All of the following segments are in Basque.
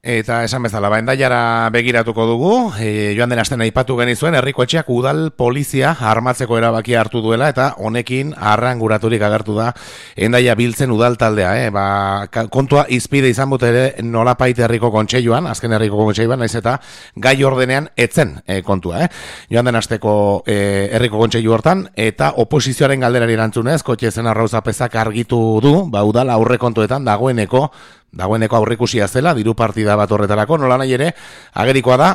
Eta esan bezala, Hendaiara begiratuko dugu, joan den astean aipatu genizuen, herriko etxeak udal polizia armatzeko erabakia hartu duela, eta honekin arranguraturik agertu da Hendaia biltzen udal taldea. Kontua izpide izan bute ere nolapait herriko kontseiluan, azken herriko kontseiluan, naiz eta gai ordenean etzen kontua. Joan den asteko herriko kontseilu hortan, eta oposizioaren galderari erantzunez, kotxe zen arrauzapezak argitu du, udal aurrekontuetan dagoeneko aurrikusia zela, diru partida bat horretarako, nola nahi ere, agerikoa da,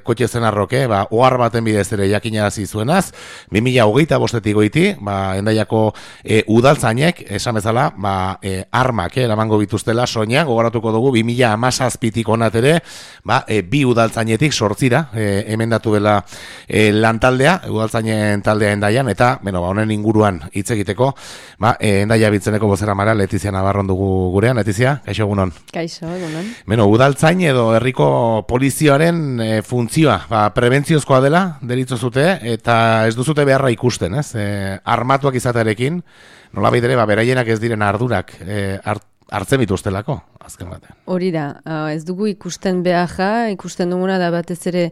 kotxe zenarroke, ohar baten bidez ere jakinarazi zuenaz, 2025 goiti, Hendaiako udaltzainek, esan bezala, armak, eramango bituztela, soina, gogoratuko dugu, 2017tik onat ere, bi udaltzainetik sortzira, emendatu dela lantaldea, udaltzainen taldea Hendaian, eta, honen inguruan hitz egiteko, Hendaia biltzeneko bozeramara, Letizia Navarron dugu gurean, Letizia, kaixo egunon. Kaixo, egunon. Udaltzain edo herriko polizioaren funtzioa, prebentziozkoa dela, deritzo zute, eta ez duzute beharra ikusten, ez? Armatuak izatearekin, nolabait ere, beraienak ez diren ardurak hartzen bituztelako, azken batean. Hori da, ez dugu ikusten beharra, ikusten duguna da batez ere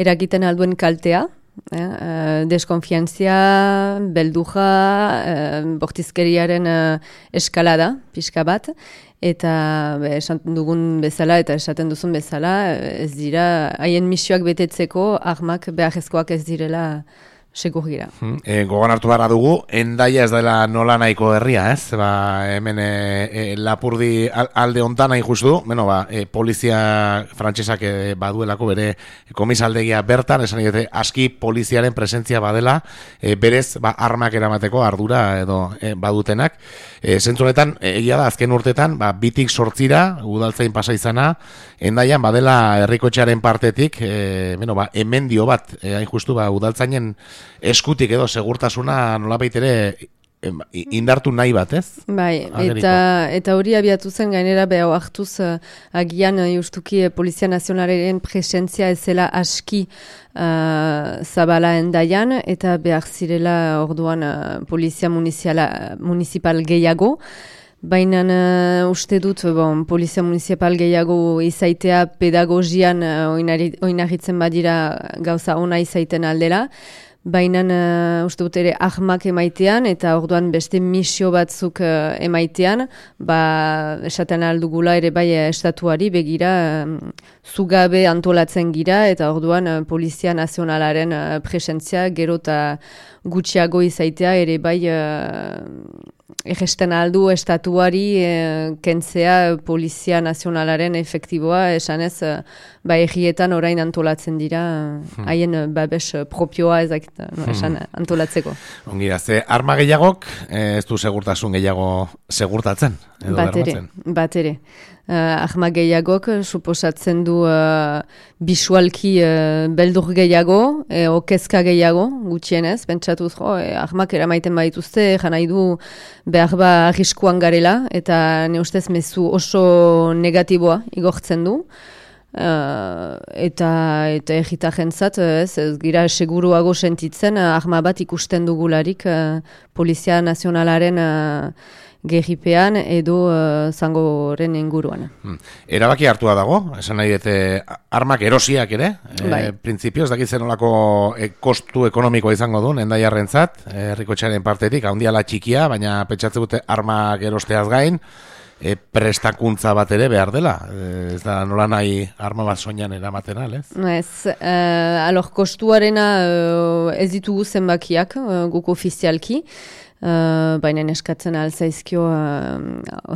eragiten alduen kaltea, deskonfiantzia, belduja, bortizkeriaren eskalada, pixka bat, eta esaten dugun bezala eta esaten duzun bezala, ez dira, haien misioak betetzeko armak beharrezkoak ez direla segur gira. Gogan hartu barra dugu, Hendaia ez dela nola nahiko herria, ez? Hemen Lapurdi alde ontan nahi justu, polizia frantsesak baduelako bere komisaldegia bertan, esan dute aski poliziaren presentzia badela, berez armak eramateko ardura edo badutenak. Zentzunetan, egia da, azken urtetan, bitik sortzira, udaltzain pasa izana, Hendaian badela herrikotxearen partetik, emendio bat, hain justu, udaltzainen eskutik edo segurtasuna nolabait ere indartu nahi bat, ez? Bai, eta hori abiatu zen gainera behau hartuz agian justuki Polizia Nazionalaren presentzia ezela aski zabala Hendaian, eta behar zirela orduan Polizia Municipal gehiago. Baina uste dut, Polizia Municipal gehiago izaitea pedagogian oinarritzen badira gauza ona izaiten aldela. Baina uste dut ere ahmak emaitean eta orduan beste misio batzuk emaitean, esaten aldugula ere bai estatuari begira zugabe antolatzen gira eta orduan Polizia Nazionalaren presentzia gero eta gutxiago izaitea ere bai egesten aldu estatuari kentzea Polizia Nazionalaren efektiboa, esanez egietan orain antolatzen dira haien babes propioa esan antolatzeko. Ongira, ze arma gehiagok ez du segurtasun gehiago segurtatzen? Bat ere. Arma gehiagok suposatzen du bisualki beldur gehiago, okezka gehiago, gutxienez, pentsatuz, armak eramaiten badituzte, janai du behar arriskuan garela, eta ne ustez mezu oso negatiboa igortzen du. Eta egitajentzat ez gira seguruago sentitzen arma bat ikusten dugularik Polizia Nazionalaren gerripean edo zangoren inguruan. Erabaki hartua dago, esan nahi dute armak erosiak ere, printzipioz dakitzen olako kostu ekonomikoa izango duen Hendaiarrentzat, herrikotxearen partetik, handiala txikia, baina pentsatzen dute armak erosteaz gain, prestakuntza bat ere behar dela. Ez da nola nahi arma bat soinan eramaten al, ez? Ez, kostuarena ez ditugu zenbakiak guk ofizialki, baina eskatzen alzaizkio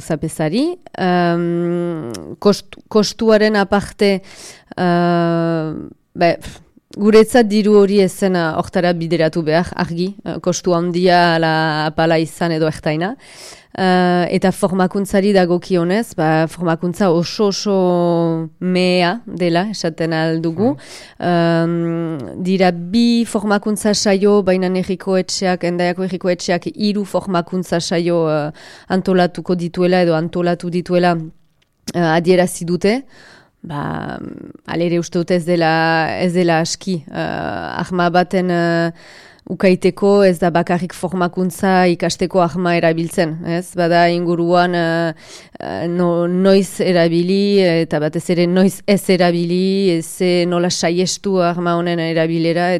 osapezari. Kostuaren aparte guretzat diru hori ezen hortara bideratu behar, argi, kostu handia apala izan edo ertaina. Eta formakuntzari dagokionez, formakuntza oso mea dela, esaten aldugu. Dira bi formakuntza saio, baina Hendaiako herriko etxeak 3 formakuntza saio antolatuko dituela edo antolatu dituela adierazi dute. Alere uste dut ez dela aski. Arma baten ukaiteko ez da bakarrik formakuntza ikasteko arma erabiltzen, ez? Bada inguruan noiz erabili eta batez ere noiz ez erabili, nola saiestu arma honen erabilera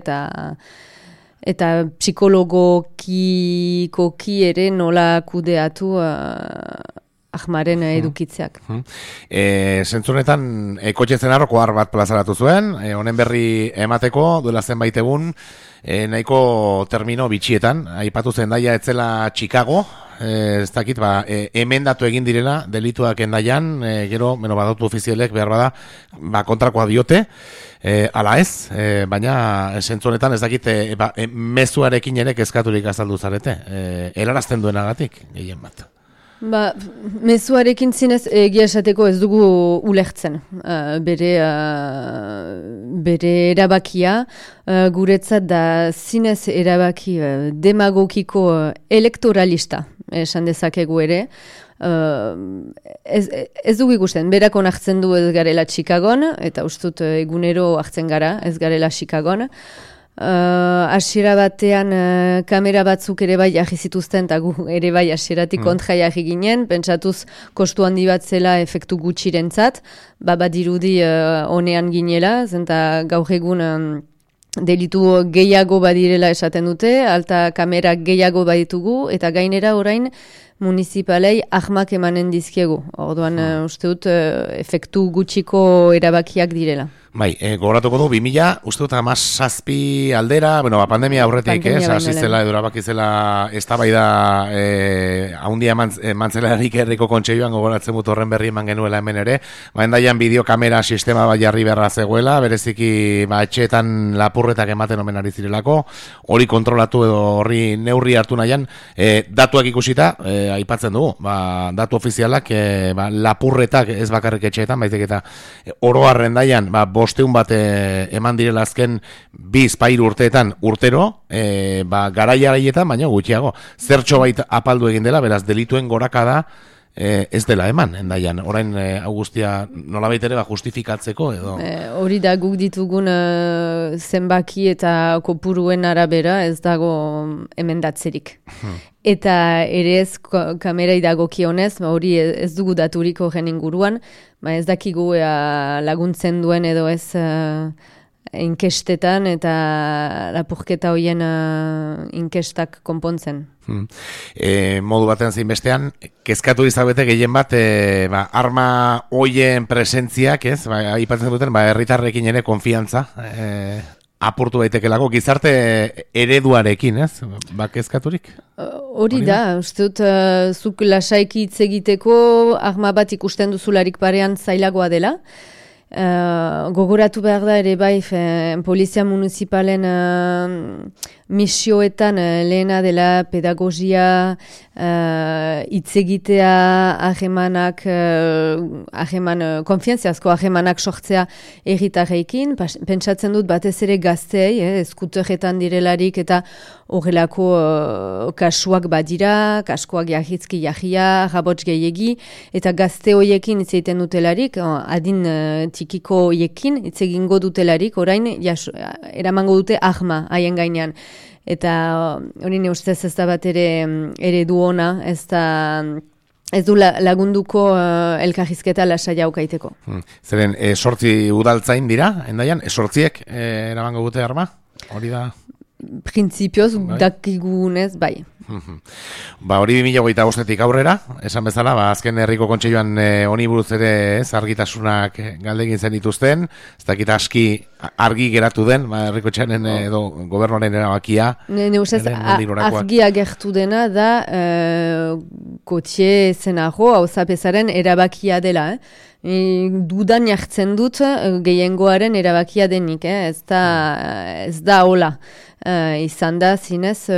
eta psikologikoki ere nola kudeatu ahmaren edukitzeak. Zentzunetan, kotxe zenarroko bat plazaratu zuen, honen berri emateko, duela zenbait egun, nahiko termino bitxietan, aipatu Hendaia etzela Chicago, ez dakit, emendatu egin direla, delituak Hendaian, gero, badautu ofizialek behar bada, kontrakoa diote, ala ez, baina zentzunetan ez dakit, mezuarekin ere kezkaturik azaldu zarete, helarazten duenagatik, gehien bat. Mezuarekin zinez egia esateko ez dugu ulertzen. Bere erabakia guretzat da zinez erabaki demagogiko elektoralista esan dezakegu ere. Ez dugu ikusten, berak onartzen du ez garela Chicagon, eta ustut egunero hartzen gara ez garela Chicagon. Hasiera batean kamera batzuk ere bai jarri zituzten eta gu ere bai hasieratik kontra jarri ginen, pentsatuz kostu handi bat zela efektu gutxirentzat, badirudi honean ginela, zenta gaur egun delitu gehiago badirela esaten dute, alta kamera gehiago baditugu, eta gainera orain municipalei ahmak emanen dizkiegu. Orduan uste dut efektu gutxiko erabakiak direla. Gogoratuko du, 2000, uste dut 17 aldera, pandemia aurretik, hasi zela, edo erabakizela eztabaida haundia mantzelarik herriko kontseiluan gogoratzen dut horren berri eman genuela hemen ere, Hendaian bideokamera sistema bat jarri beharra zegoela, bereziki etxeetan lapurretak ematen omen ari zirelako, hori kontrolatu edo horri neurri hartu nahian, datuak ikusita, aipatzen dugu, datu ofizialak, lapurretak ez bakarrik etxeetan, baizik eta oro Hendaian, 500 bat eman direla azken 2-3 urteetan urtero, garaiaietan, baina gutxiago. Zertxo bait apaldu egin dela, beraz, delituen gorakada ez dela eman, Hendaian. Orain, Augustia, nolabait ere justifikatzeko edo? Hori da guk ditugun zenbaki eta kopuruen arabera ez dago emendatzerik. Eta ere ez kamerai dagokionez, hori ez dugu daturik horren inguruan, ez dakigu laguntzen duen edo ez inkestetan eta lapurketa horien inkestak konpontzen. Modu batean zein bestean, kezkatu izabete gehien bat arma hoien presentziak, ez? Aipatzen duten, herritarrekin ere konfiantza apurtu daitekelako gizarte ereduarekin, ez? Kezkaturik? Hori da, uste dut, zuk lasaiki hitz egiteko arma bat ikusten duzularik parean zailagoa dela. Gogoratu behar da ere bai polizia municipalen misioetan lehena dela pedagogia, hitz egitea, konfiantziazko ahemanak sortzea erritarreikin. Pentsatzen dut batez ere gazteei, eskuterretan direlarik eta horrelako kasuak badira, kaskoak jahitzki jahia, rabots gehiegi, eta gazte hoiekin hitz egiten dutelarik, adin txikiko hoiekin hitz egingo dutelarik, orain eramango dute ahma haien gainean. Eta hori ne ustez ez da bat ere du ona, ez du lagunduko elkarrizketa lasai aukaiteko. Zeren, 8 udaltzain dira, Hendaian? 8 eramango dute arma? Hori da? Printzipioz, dakigunez, bai. Hori 2025 aurrera, esan bezala, azken herriko kontseiluan honi buruz ere argitasunak galdegin zen dituzten, ez dakit aski argi geratu den, herriko txanen edo gobernuaren erabakia. Ne ustez, argia gertu dena da kotxe zenago, hau zapezaren erabakia dela, dudan jartzen dut gehiengoaren erabakia denik, ez da hola. Izan da zinez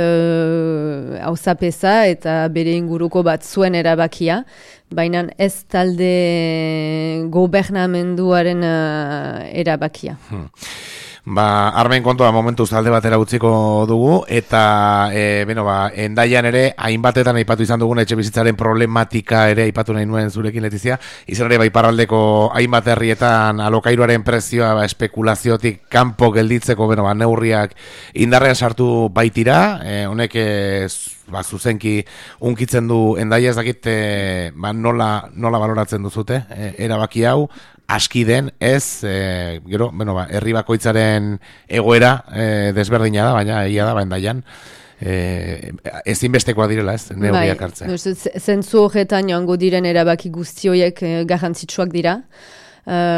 auzapeza eta bere inguruko bat zuen erabakia, baina ez talde gobernamenduaren erabakia. Armen kontua momentuz alde batera utziko dugu, eta Hendaian ere, hainbatetan aipatu izan dugun etxe bizitzaren problematika ere aipatu nahi nuen zurekin, Letizia, izan ere iparraldeko hainbat herrietan alokairuaren prezioa espekulaziotik kanpo gelditzeko neurriak indarrean sartu baitira, honek zuzenki unkitzen du Hendaia, ez dakit nola baloratzen duzute, erabaki hau, aski den, ez, herri bakoitzaren egoera desberdina da, baina egia da, Hendaian, ezinbestekoa direla, ez, neurriak hartzea. Zentzu horretan joango diren erabaki guztioiek garrantzitsuak dira.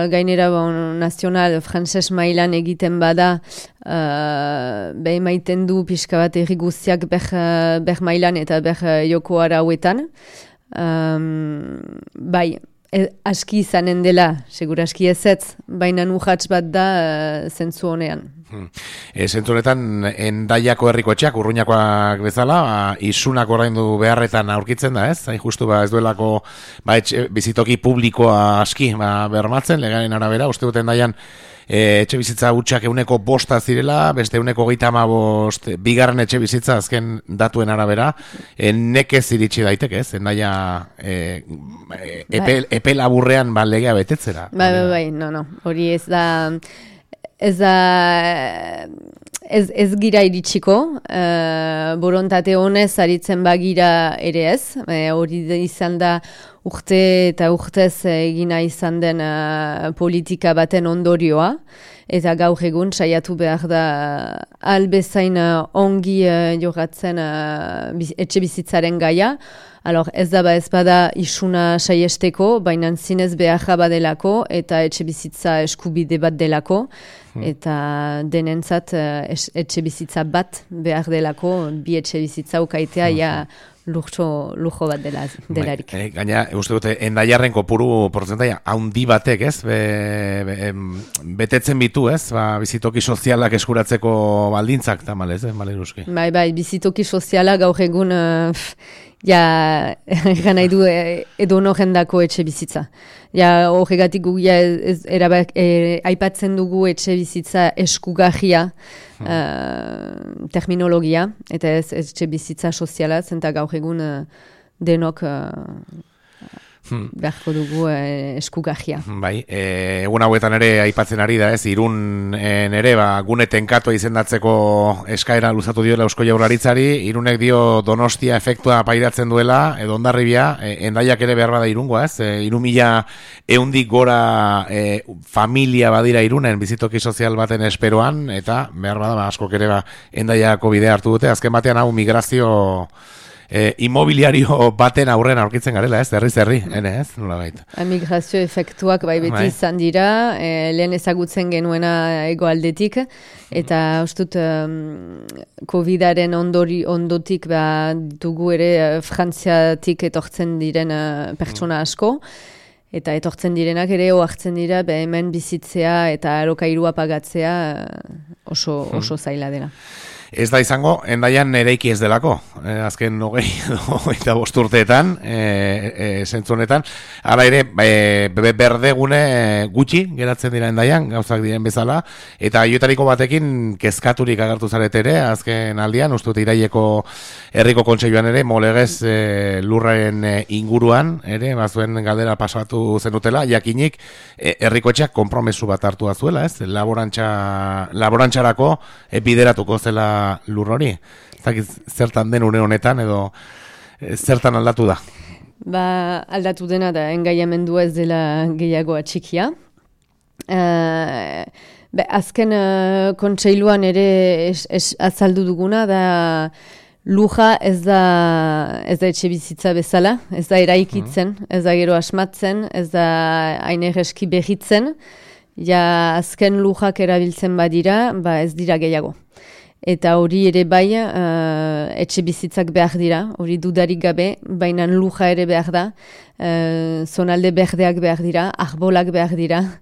Gainera nazional frantses mailan egiten bada emaiten du pixka bat herri guztiak ber mailan eta ber joko arauetan. Aski izanen dela, segura aski ezetz, baina urrats bat da zentzu honean. Zentzu honetan, Hendaiako herriko etxeak, Urruñakoak bezala, isunak oraindu beharretan aurkitzen da, ez? Hain justu ez duelako bizitoki publikoa aski bermatzen, legaren arabera, uste dut Hendaian etxe bizitza hutsak 105 zirela, beste 135 bigarren etxe bizitza azken datuen arabera, nekez iritsi daiteke, ez? Hendaia epe laburrean legea betetzera. No, hori ez gira iritsiko, borontate honez aritzen bagira ere ez, hori izan da urte eta urtez egina izan den politika baten ondorioa, eta gaur egun saiatu behar da albezain ongi jogatzen etxe bizitzaren gaia. Ez bada isuna saiesteko, baina zinez beharra badelako eta etxe bizitza eskubide bat delako, eta denentzat etxe bizitza bat behar delako, bi etxe bizitza ukaitea lujo bat delarik. Gaina, uste dute, Hendaiarren kopuru portzentaia haundi batek, ez? Betetzen bitu, ez? Bizitoki sozialak eskuratzeko baldintzak, tamalez, Maleruski? Bai, bizitoki soziala gaur egun egan nahi du edo jendako etxe bizitza. Horregatik gu aipatzen dugu etxe bizitza eskugarria terminologia, eta ez etxe bizitza soziala, zenta gaur egun denok beharko dugu eskugarria. Bai, egun hauetan ere aipatzen ari da, ez, Irun ere gune tenkatua izendatzeko eskaera luzatu dioela Eusko Jaurlaritzari, Irunek dio Donostia efektua pairatzen duela, edo Hondarribia, Hendaiak ere behar bada Irungoa, ez, 3.100 gora familia badira Irunen bizitoki sozial baten esperoan, eta behar bada askok ere Hendaiako bidea hartu dute, azken batean hau migrazio inmobiliario baten aurren aurkitzen garela, ez? Herri, ez? Nola baita. Migrazio efektuak beti izan dira, lehen ezagutzen genuena egoaldetik, eta ustut COVID-aren ondotik dugu ere Frantziatik etortzen diren pertsona asko, eta etortzen direnak ere ohartzen dira hemen bizitzea eta alokairua pagatzea oso zaila dela. Ez da izango, Hendaian eraiki ez delako, azken 25 urteetan, zentzu honetan, hala ere, berdegune gutxi geratzen dira Hendaian, gauzak diren bezala, eta aiotariko batekin kezkaturik agertu zarete ere, azken aldian, ustut iraieko herriko kontseiluan ere, molegez lurraren inguruan, ere, bazuen galdera pasatu zenutela, jakinik, herriko etxeak konpromesu bat hartu azuela, ez? Laborantzarako bideratuko zela lur hori. Zertan den une honetan edo zertan aldatu da? Aldatu dena da engaiamendua ez dela gehiago atxikia. Azken kontseiluan ere azaldu duguna da luja ez da etxe bizitza bezala, ez da eraikitzen, ez da gero asmatzen, ez da ainereski behitzen, azken lujak erabiltzen badira, ez dira gehiago. Eta hori ere bai etxe bizitzak behar dira, hori dudarik gabe, baina luja ere behar da, zonalde berdeak behar dira, arbolak behar dira,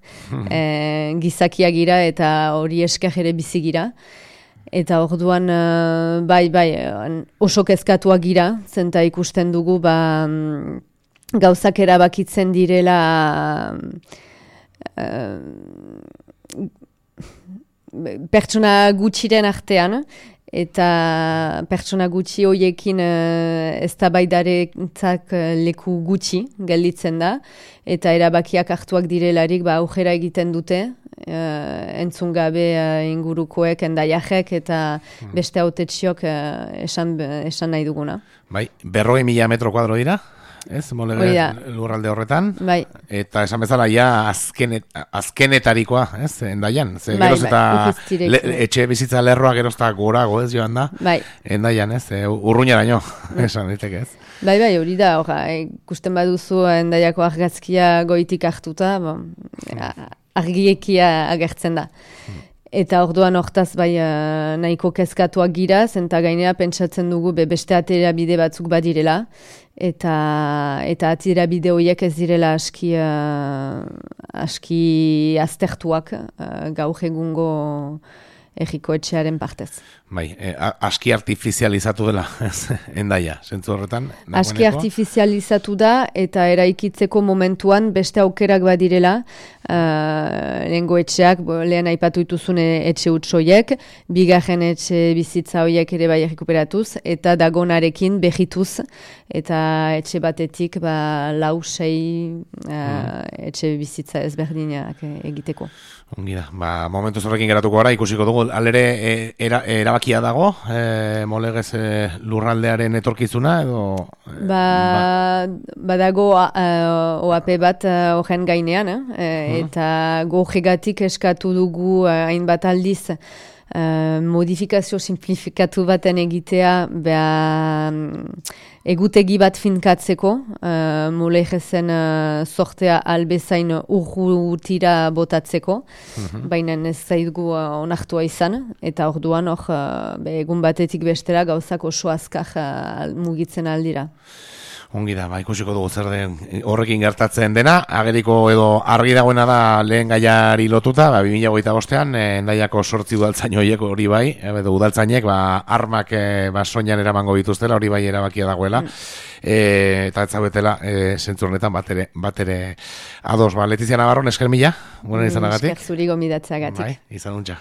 gizakiak gira eta hori esker ere bizi gira. Eta orduan oso kezkatuak gira, zenta ikusten dugu gauzak erabakitzen direla pertsona gutxiren artean, eta pertsona gutxi horiekin eztabaidarentzat leku gutxi gelditzen da, eta erabakiak hartuak direlarik aurrera egiten dute, entzun gabe ingurukoek, endaiajek eta beste hautetxiok esan nahi duguna. Bai, 40.000 metro kuadro dira? Ez, lurralde horretan, bai. Eta esan bezala ja azkenetarikoa, ez, Endaian, ze geroz eta etxe bizitza lerroa gerozta gorago, ez, joan da, bai. Endaian, ez, urruñaraino, esan diteke, ez. Bai, hori da, ikusten baduzu Endaiako argazkia goitik hartuta, argiekia agertzen da. Eta orduan hortaz nahiko kezkatuak giraz, eta gainera pentsatzen dugu beste atera bide batzuk badirela, eta atera bide horiek ez direla aski aztertuak gaur egungo erriko etxearen partez. Bai, aski artifizializatu dela, Endaia, zentzu horretan? Aski artifizializatu da, eta eraikitzeko momentuan beste aukerak badirela, lehengo etxeak, lehen aipatu dituzun etxe utxoiek, bigarren etxe bizitza horiek ere bai errekuperatuz, eta dagonarekin behituz, eta etxe batetik 4-6 etxe bizitza ezberdinak egiteko. Ongi da, momentu horrekin geratuko gara, ikusiko dugu, alere erabakia dago, molegez lurraldearen etorkizuna, edo... Badago OAP bat horren gainean, eta gojegatik eskatu dugu hainbat aldiz modifikazio simplifikatu baten egitea egutegi bat finkatzeko, molegezen sortea albezain urrutira botatzeko, baina ez zaigu onartua izan, eta orduan egun batetik bestera gauzak oso azkar mugitzen aldira. Ongi da, ikusiko dugu zer den horrekin gertatzen dena, ageriko edo argi dagoena da lehen gaiari lotuta, 2025an Endaiako 8 udaltzain horiek hori bai, edo udaltzainek armak soinan eramango dituztela, hori bai erabakia dagoela, eta ez zaudetela zentzu honetan bat ere ados. Letizia Navarro, esker mila, izanagatik. Esker zuri gomidatzeagatik. Izan untxa.